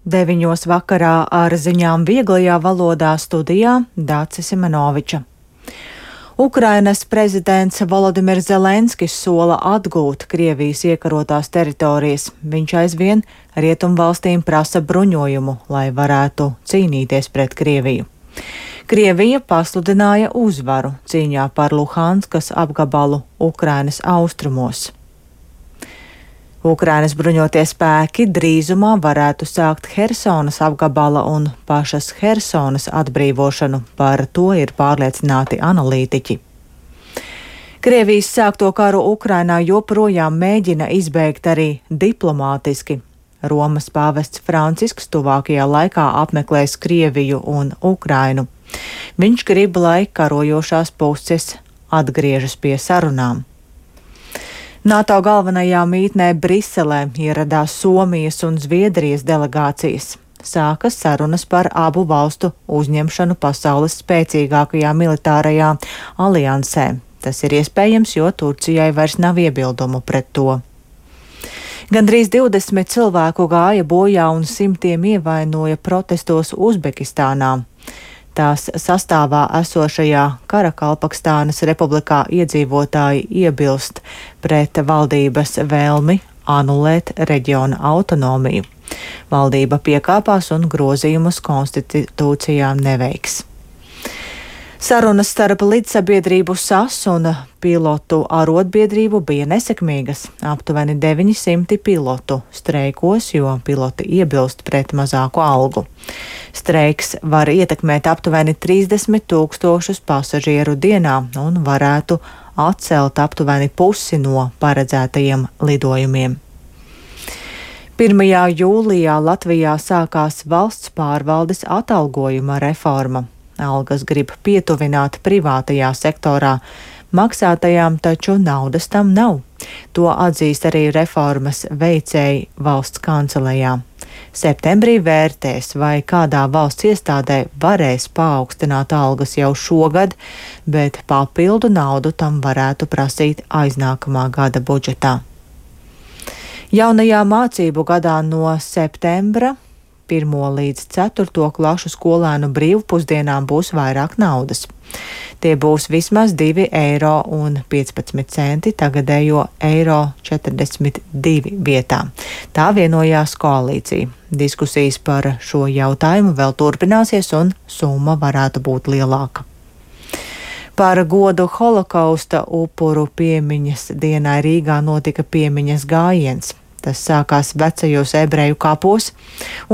9 vakarā ar ziņām vieglajā valodā studijā Dācis Simenoviča. Ukrainas prezidents Volodimirs Zelenskis sola atgūt Krievijas iekarotās teritorijas. Viņš aizvien rietumvalstīm prasa bruņojumu, lai varētu cīnīties pret Krieviju. Krievija pasludināja uzvaru cīņā par Luhanskas apgabalu Ukrainas austrumos. Ukrainas bruņotie spēki drīzumā varētu sākt Hersonas apgabala un pašas Hersonas atbrīvošanu, par to ir pārliecināti analītiķi. Krievijas sākto karu Ukrainā joprojām mēģina izbeigt arī diplomātiski. Romas pāvests Francisks tuvākajā laikā apmeklēs Krieviju un Ukrainu. Viņš grib, lai karojošās puses atgriežas pie sarunām. NATO galvenajā mītnē Briselē ieradās Somijas un Zviedrijas delegācijas. Sākas sarunas par abu valstu uzņemšanu pasaules spēcīgākajā militārajā aliansē. Tas ir iespējams, jo Turcijai vairs nav iebildumu pret to. Gandrīz 20 cilvēku gāja bojā un simtiem ievainoja protestos Uzbekistānā. Tās sastāvā esošajā Karakalpakstānas republikā iedzīvotāji iebilst pret valdības vēlmi anulēt reģiona autonomiju. Valdība piekāpās un grozījumus konstitūcijā neveiks. Sarunas starp līdzsabiedrību SAS un pilotu arotbiedrību bija nesekmīgas. Aptuveni 900 pilotu streikos, jo piloti iebilst pret mazāku algu. Streiks var ietekmēt aptuveni 30 000 pasažieru dienā un varētu atcelt aptuveni pusi no paredzētajiem lidojumiem. 1. jūlijā Latvijā sākās valsts pārvaldes atalgojuma reforma. Algas grib pietuvināt privātajā sektorā, maksātajām taču naudas tam nav. To atzīst arī reformas veicēji valsts kancelējā. Septembrī vērtēs, vai kādā valsts iestādē varēs paaugstināt algas jau šogad, bet papildu naudu tam varētu prasīt aiznākamā gada budžetā. Jaunajā mācību gadā no septembra 1. līdz 4. klašu skolēnu brīvpusdienām būs vairāk naudas. Tie būs vismaz 2,15 eiro tagadējo 1,42 vietā. Tā vienojās koalīcija. Diskusijas par šo jautājumu vēl turpināsies un summa varētu būt lielāka. Par godu holokausta upuru piemiņas dienai Rīgā notika piemiņas gājiens. Tas sākās vecajos ebreju kapos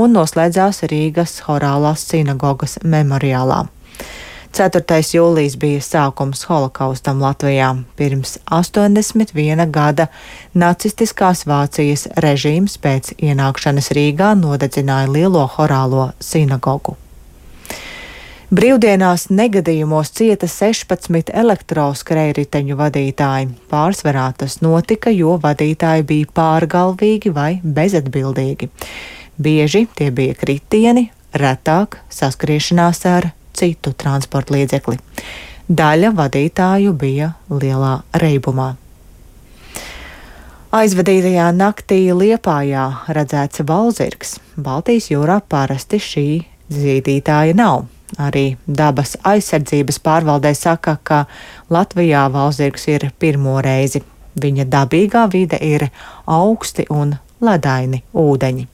un noslēdzās Rīgas Horālās sinagogas memoriālā. 4. jūlijs bija sākums holokaustam Latvijā. Pirms 81 gada nacistiskās Vācijas režīms pēc ienākšanas Rīgā nodedzināja lielo Horālo sinagogu. Brīvdienās negadījumos cieta 16 elektroskrējriteņu vadītāji. Pārsvarā tas notika, jo vadītāji bija pārgalvīgi vai bezatbildīgi. Bieži tie bija kritieni, retāk saskriešanās ar citu transporta līdzekli. Daļa vadītāju bija lielā reibumā. Aizvadītajā naktī Liepājā redzēts valzirgs. Baltijas jūrā parasti šī zīdītāja nav. Arī dabas aizsardzības pārvaldē saka, ka Latvijā valzirgs ir pirmo reizi. Viņa dabīgā vide ir augsti un ledaini ūdeņi.